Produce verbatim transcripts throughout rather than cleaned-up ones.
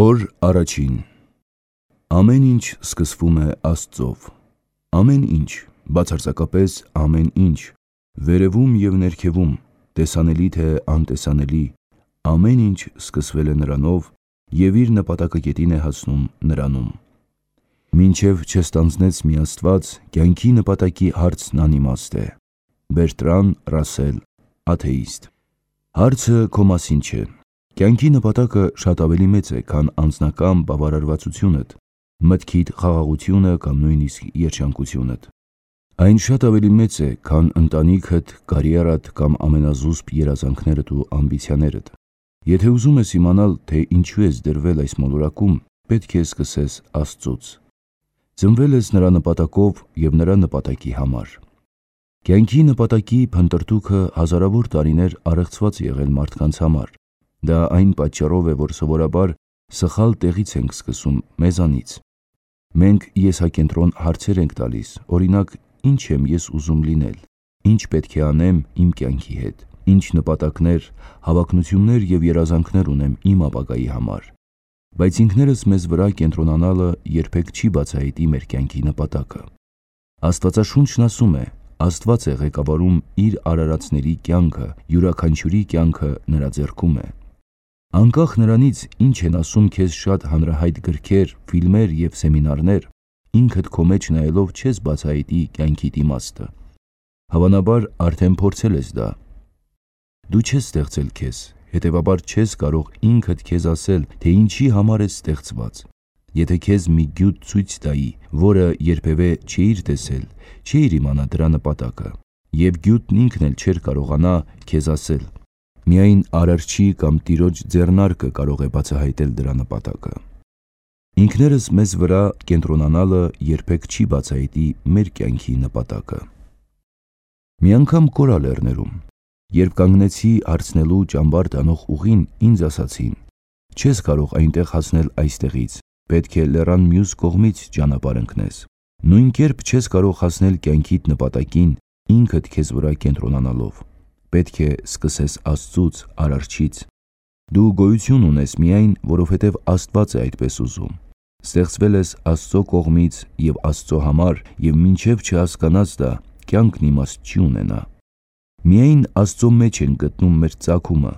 Օր առաջին Ամեն ինչ սկսվում է Աստծով։ Ամեն ինչ, բացարձակապես ամեն ինչ, վերևում և ներքևում, տեսանելի թե անտեսանելի, ամեն ինչ սկսվել է Նրանով և իր նպատակակետին է հասնում Նրանում։ Մինչև չստանձնեց մի Աստված, կյանքի նպատակի հարցն անիմաստ է։ Բերտրան Ռասել, աթեիստ։ Հարցը քո մասին չէ։ Կյանքի նպատակը շատ ավելի մեծ է, քան անձնական բավարարվածությունդ, մտքիդ խաղաղությունը կամ նույնիսկ երջանկությունդ։ Այն շատ ավելի մեծ է, քան ընտանիքդ, կարիերադ կամ ամենազուսպ երազանքներդ ու ամբիցիաներդ։ Եթե ուզում ես իմանալ, թե ինչու ես դրվել այս մոլորակում, պետք է սկսես Աստծուց։ Ծնվել ես Նրա նպատակով և Նրա նպատակի համար։ Կյանքի նպատակի փնտրտուքը հազարավոր տարիներ առեղծված է եղել մարդկանց համար։ Դա այն պատճառով է, որ սովորաբար սխալ տեղից ենք սկսում մեզանից։ Մենք եսակենտրոն հարցեր ենք տալիս, օրինակ, ի՞նչ եմ ես ուզում լինել, ի՞նչ պետք է անեմ իմ կյանքի հետ, ի՞նչ նպատակներ, հավակնություններ և երազանքներ ունեմ իմ ապագայի համար։ Բայց ինքներս մեզ վրա կենտրոնանալը երբեք չի բացահայտի մեր կյանքի նպատակը։ Աստվածաշունչն ասում է. Աստված է ղեկավարում իր արարածների կյանքը, յուրաքանչյուրի կյանքը նրա ձեռքում է։ Անկախ նրանից, ինչ են ասում քեզ շատ հանրահայտ գրքեր, ֆիլմեր և սեմինարներ, ինքդ քո մեջ նայելով չես բացահայտի կյանքիդ իմաստը։ Հավանաբար արդեն փորձել ես դա։ Դու չես ստեղծել քեզ, հետևաբար չես կարող ինքդ քեզ ասել, թե ինչի համար ես ստեղծված։ Եթե քեզ մի գյուտ ցույց տայի, որը երբևէ չէիր տեսել, չէիր իմանա դրա նպատակը, և գյուտն ինքն էլ չէր կարողանա քեզ ասել։ Միայն Արարչի կամ Տիրոջ ձեռնարկը կարող է բացահայտել դրա նպատակը։ Ինքներս մեզ վրա կենտրոնանալը երբեք չի բացահայտի մեր կյանքի նպատակը։ Մի անգամ Կորա լեռներում, երբ կանգնեցի հարցնելու ճամբար տանող ուղին, ինձ ասացին. չես կարող այնտեղ հասնել այստեղից, պետք է լեռան մյուս կողմից ճանապարհ ընկնես։ Նույն կերպ չես կարող հասնել կյանքիդ նպատակին ինքդ քեզ վրա կենտրոնանալով։ Պետք է սկսես Աստծուց, Արարչից։ Դու գոյություն ունես միայն, որովհետև Աստված է այդպես ուզում։ Ստեղծվել ես Աստծո կողմից և Աստծո համար, և մինչև չհասկանաս դա, կյանքն իմաստ չի ունենա։ Միայն Աստծո մեջ ենք գտնում մեր ծագումը,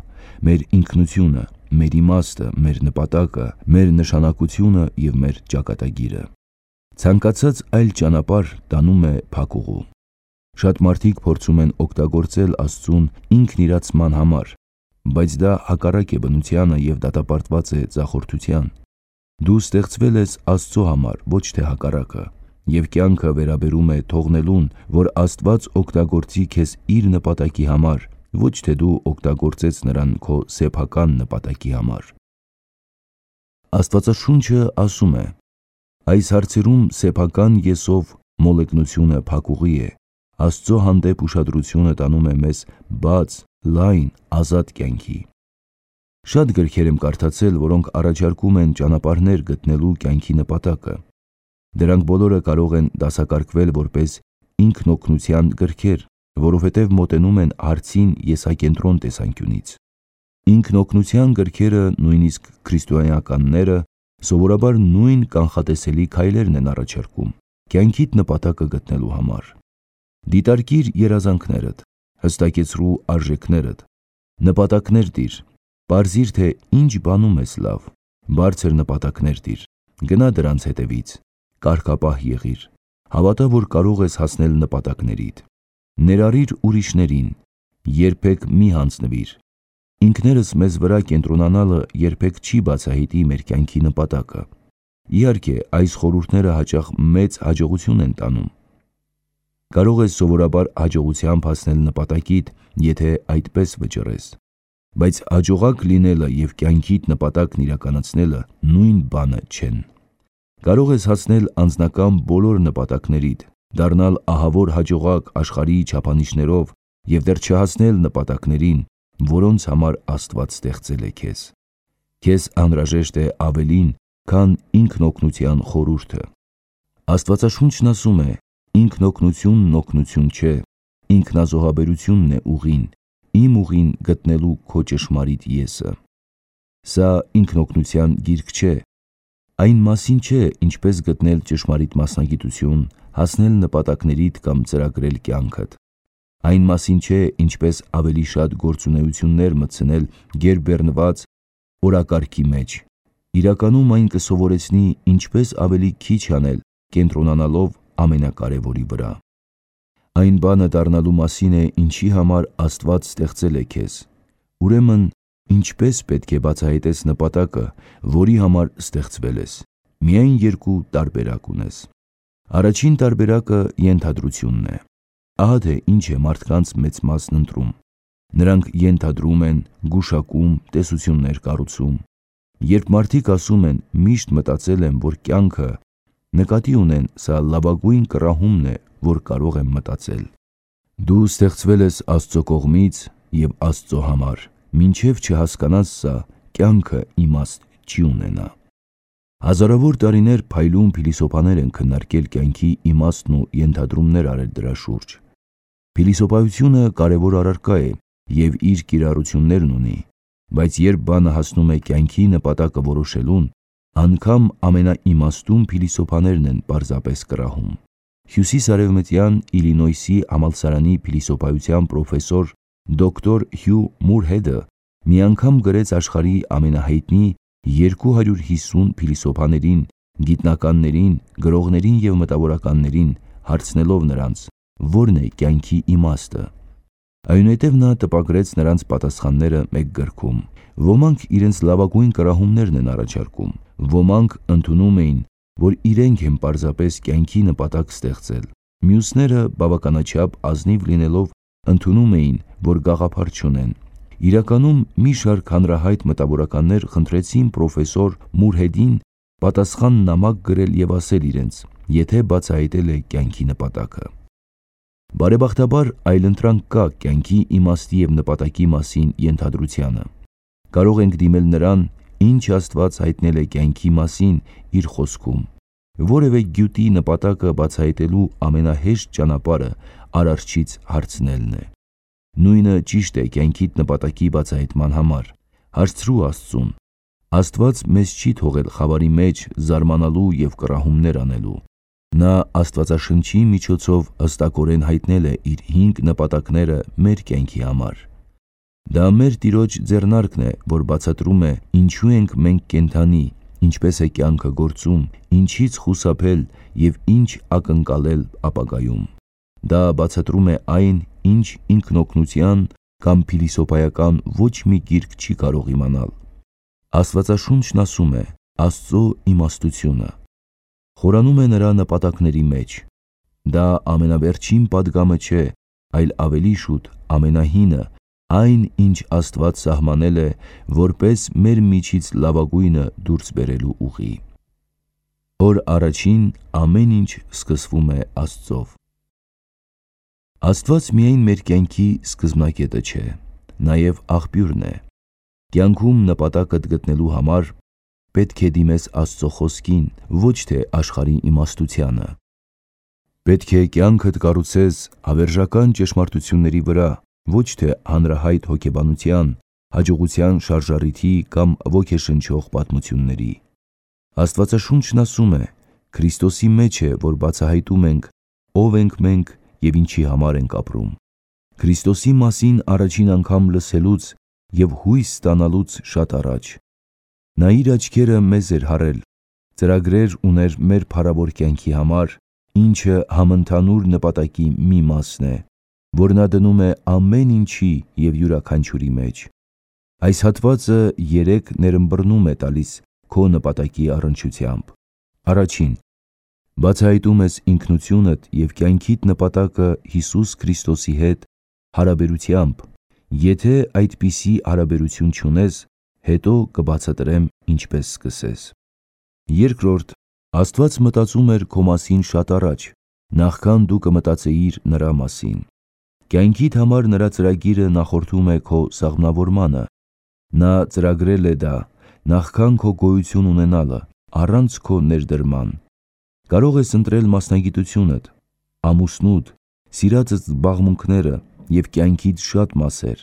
մեր ինքնությունը, մեր իմաստը, մեր նպատակը, մեր նշանակությունը և մեր ճակատագիրը։ Ցանկացած այլ ճանապարհ տանում է փակուղու։ Շատ մարդիկ փորձում են օգտագործել Աստծուն ինքնիրացման համար, բայց դա հակառակ է բնությանը և դատապարտված է ձախորդության։ Դու ստեղծվել ես Աստծո համար, ոչ թե հակառակը, և կյանքը վերաբերում է թողնելուն, որ Աստված օգտագործի քեզ իր նպատակի համար, ոչ թե դու օգտագործես նրան քո սեփական նպատակի համար։ Աստվածաշունչը ասում է. այս հարցերում սեփական եսով մոլեգնությունը փակուղի է, Աստծո հանդեպ ուշադրությունը տանում է մեզ բաց, լայն, ազատ կյանքի։ Շատ գրքեր եմ կարդացել, որոնք առաջարկում են ճանապարհներ գտնելու կյանքի նպատակը։ Դրանք բոլորը կարող են դասակարգվել որպես ինքնօգնության գրքեր, որովհետև մոտենում են հարցին եսակենտրոն տեսանկյունից։ Ինքնօգնության գրքերը, նույնիսկ քրիստոնյաները, սովորաբար նույն կանխատեսելի քայլերն են առաջարկում կյանքիդ նպատակը գտնելու համար։ Դիտարկիր երազանքներդ, հստակեցրու արժեքներդ, նպատակներ դիր, պարզիր, թե ինչ բանում ես լավ, բարձր նպատակներ դիր, գնա դրանց հետևից, կարգապահ եղիր, հավատա, որ կարող ես հասնել նպատակներիդ, ներառիր ուրիշներին, երբեք մի հանձնվիր։ Ինքներս մեզ վրա կենտրոնանալը երբեք չի բացահայտի մեր կյանքի նպատակը։ Իհարկե, այս խորհուրդները հաճախ մեծ հաջողություն են տանում։ Կարող ես սովորաբար հաջողությամբ հասնել նպատակիդ, եթե այդպես վճռես։ Բայց հաջողակ լինելը և կյանքիդ նպատակն իրականացնելը նույն բանը չեն։ Կարող ես հասնել անձնական բոլոր նպատակներիդ, դառնալ ահավոր հաջողակ աշխարհի չափանիշներով և դեռ չհասնել նպատակներին, որոնց համար Աստված ստեղծել է քեզ։ Քեզ անհրաժեշտ է ավելին, քան ինքնօգնության խորհուրդը։ Աստվածաշունչն ասում է. ինքնօգնությունն օգնություն չէ, ինքնազոհաբերությունն է ուղին, իմ ուղին գտնելու քո ճշմարիտ եսը։ Սա ինքնօգնության գիրք չէ, այն մասին չէ, ինչպես գտնել ճշմարիտ մասնագիտություն, հասնել նպատակներիդ կամ ծրագրել կյանքդ։ Այն մասին չէ, ինչպես ավելի շատ գործունեություններ մտցնել գերբեռնված օրակարգի մեջ։ Իրականում այն կսովորեցնի ինչպես ավելի քիչ անել, կենտրոնանալով ամենակարևորի վրա։ Այն բանը դառնալու մասին է, ինչի համար Աստված ստեղծել է քեզ։ Ուրեմն, ինչպես պետք է բացահայտես նպատակը, որի համար ստեղծվել ես։ Միայն երկու տարբերակ ունես։ Առաջին տարբերակը ենթադրությունն է։ Ահա թե ինչ է մարդկանց մեծ մասն ընտրում։ Նրանք ենթադրում են, գուշակում, տեսություններ կառուցում։ Երբ մարդիկ ասում են, միշտ մտածել եմ, որ կյանքը, նկատի ունեն, սա լավագույն կռահումն է, որ կարող եմ մտածել։ Դու ստեղծվել ես Աստծո կողմից և Աստծո համար, մինչև չհասկանաս սա, կյանքը իմաստ չի ունենա։ Հազարավոր տարիներ փայլուն փիլիսոփաներ են քննարկել կյանքի իմաստն ու ենթադրումներ արել դրա շուրջ։ Փիլիսոփայությունը կարևոր առարկա է և իր կիրառություններն ունի, բայց երբ բանը հասնում է կյանքի նպատակը որոշելուն, անգամ ամենաիմաստուն փիլիսոփաներն են պարզապես կռահում։ Հյուսիսարևմտյան Իլինոյսի համալսարանի փիլիսոփայության պրոֆեսոր դոկտոր Հյու Մուրհեդը մի անգամ գրեց աշխարհի ամենահայտնի երկու հարյուր հիսուն փիլիսոփաներին, գիտնականներին, գրողներին և մտավորականներին, հարցնելով նրանց, որն է կյանքի իմաստը։ Այնուհետև նա տպագրեց նրանց պատասխանները մեկ գրքում։ Ոմանք իրենց լավագույն կռահումներն են առաջարկում, ոմանք ընդունում էին, որ իրենք են պարզապես կյանքի նպատակ ստեղծել։ Մյուսները բավականաչափ ազնիվ լինելով ընդունում էին, որ գաղափար չունեն։ Իրականում մի շարք հանրահայտ մտավորականներ խնդրեցին պրոֆեսոր Մուրհեդին պատասխան նամակ գրել և ասել իրենց, եթե բացահայտել է կյանքի նպատակը։ Բարեբախտաբար այլընտրանք կա կյանքի իմաստի և նպատակի մասին ենթադրությանը։ Կարող ենք դիմել նրան, ինչ Աստված հայտնել է կյանքի մասին իր խոսքում։ Որևէ գյուտի նպատակը բացահայտելու ամենահեշտ ճանապարհը Արարչից հարցնելն է։ Նույնը ճիշտ է կյանքիդ նպատակի բացահայտման համար։ Հարցրու Աստծուն։ Աստված մեզ չի թողել խավարի մեջ զարմանալու և կռահումներ անելու։ Նա Աստվածաշնչի միջոցով հստակորեն հայտնել է իր հինգ նպատակները մեր կյանքի համար։ Դա մեր Տիրոջ ձեռնարկն է, որ բացատրում է, ինչու ենք մենք կենդանի, ինչպես է կյանքը գործում, ինչից խուսափել և ինչ ակնկալել ապագայում։ Դա բացատրում է այն, ինչ ինքնօգնության կամ փիլիսոփայական ոչ մի գիրք չի կարող իմանալ։ Աստվածաշունչն ասում է Աստծո իմաստությունը։ Խորանում է նրա նպատակների մեջ։ Դա ամենավերջին պատգամը չէ, այլ ավելի շուտ ամենահինը, այն, ինչ Աստված սահմանել է, որպես մեր միջից լավագույնը դուրս բերելու ուղի։ Օր առաջին ամեն ինչ սկսվում է Աստծով։ Աստված միայն մեր կյանքի սկզբնակետը չէ, նաև աղբյուրն է։ Կյանքում նպատակդ գտնելու համար պետք է դիմես Աստծո խոսքին, ոչ թե աշխարհի իմաստությանը։ Պետք է կյանքդ կառուցես հավերժական ճշմարտությունների վրա, ոչ թե հանրահայտ հոգեբանության, հաջողության շարժառիթի կամ ոգեշնչող պատմությունների։ Աստվածաշունչն ասում է. Քրիստոսի մեջ է, որ բացահայտում ենք, ով ենք մենք և ինչի համար ենք ապրում։ Քրիստոսի մասին առաջին անգամ լսելուց և հույս ստանալուց շատ առաջ։ Նա իր աչքերը մեզ էր հառել, ծրագրեր ուներ մեր փառավոր կյանքի համար, ինչը համընդհանուր նպատակի մի մասն է, որ նա դնում է ամեն ինչի և յուրաքանչյուրի մեջ։ Այս հատվածը երեք ներըմբռնում է տալիս քո նպատակի առնչությամբ։ Առաջին, բացահայտում ես ինքնությունդ և կյանքիդ նպատակը Հիսուս Քրիստոսի հետ հարաբերությամբ։ Եթե այդպիսի հարաբերություն չունես, հետո կբացատրեմ ինչպես սկսես։ Երկրորդ, Աստված մտածում էր քո մասին շատ առաջ, նախքան դու կմտածեիր նրա մասին։ Կյանքիդ համար նրա ծրագիրը նախորդում է քո սաղմնավորմանը։ Նա ծրագրել է դա նախքան քո գոյություն ունենալը, առանց քո ներդրման։ Կարող ես ընտրել մասնագիտությունդ, ամուսնուդ, սիրածդ զբաղմունքները և կյանքիդ շատ մասեր,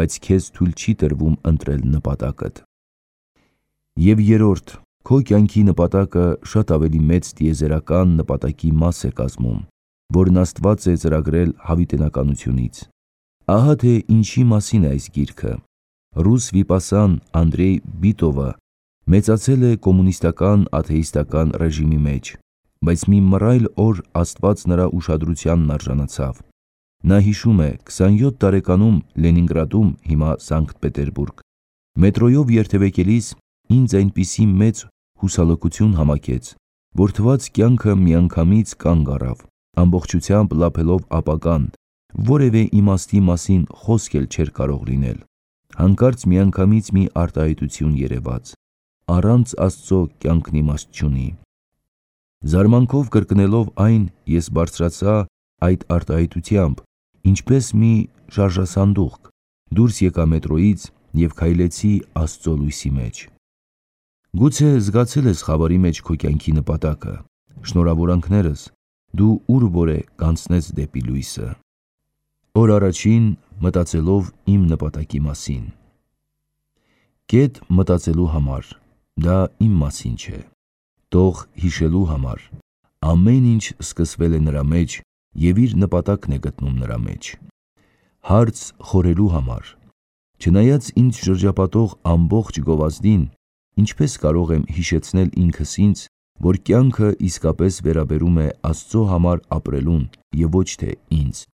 բայց քեզ թույլ չի տրվում ընտրել նպատակդ։ Եվ երրորդ, քո կյանքի նպատակը շատ ավելի մեծ տիեզերական նպատակի մաս է կազմում, որն Աստված է ծրագրել հավիտենականությունից։ Ահա թե ինչի մասին է այս գիրքը։ Ռուս վիպասան Անդրեյ Բիտովը մեծացել է կոմունիստական աթեիստական ռեժիմի մեջ, բայց մի մռայլ օր Աստված նրա ուշադրությանն արժանացավ։ Նա հիշում է քսանյոթ տարեկանում Լենինգրադում, հիմա Սանկտ Պետերբուրգ, մետրոյով երթևեկելիս ինձ այնպիսի մեծ հուսալքություն համակեց, որ թվաց կյանքը միանգամից կանգ առավ, ամբողջությամբ լափելով ապագան, որևէ իմաստի մասին խոսք էլ չէր կարող լինել։ Հանկարծ միանգամից մի արտահայտություն երևաց. առանց Աստծո կյանքն իմաստ չունի։ Զարմանքով կրկնելով այն, ես բարձրացա այդ արտահայտությամբ, ինչպես մի շարժասանդուղք, դուրս եկա մետրոյից և քայլեցի Աստծո լույսի մեջ։ Գուցե զգացել ես խավարի մեջ քո կյանքի նպատակը։ Շնորհավորանքներս, դու ուր որ է կանցնես դեպի լույսը։ Օր առաջին մտածելով իմ նպատակի մասին։ Կետ մտածելու համար, դա իմ մասին չէ։ Տող հիշելու համար, ամեն ինչ սկսվել է նրա մեջ և իր նպատակն է գտնում նրա մեջ։ Հարց խորելու համար, չնայած ինձ շրջապատող ամբողջ գովազդին, ինչպես կարող եմ հիշեցնել ինքս ինձ, որ կյանքը իսկապես վերաբերում է Աստծո համար ապրելուն և ոչ թե ինձ։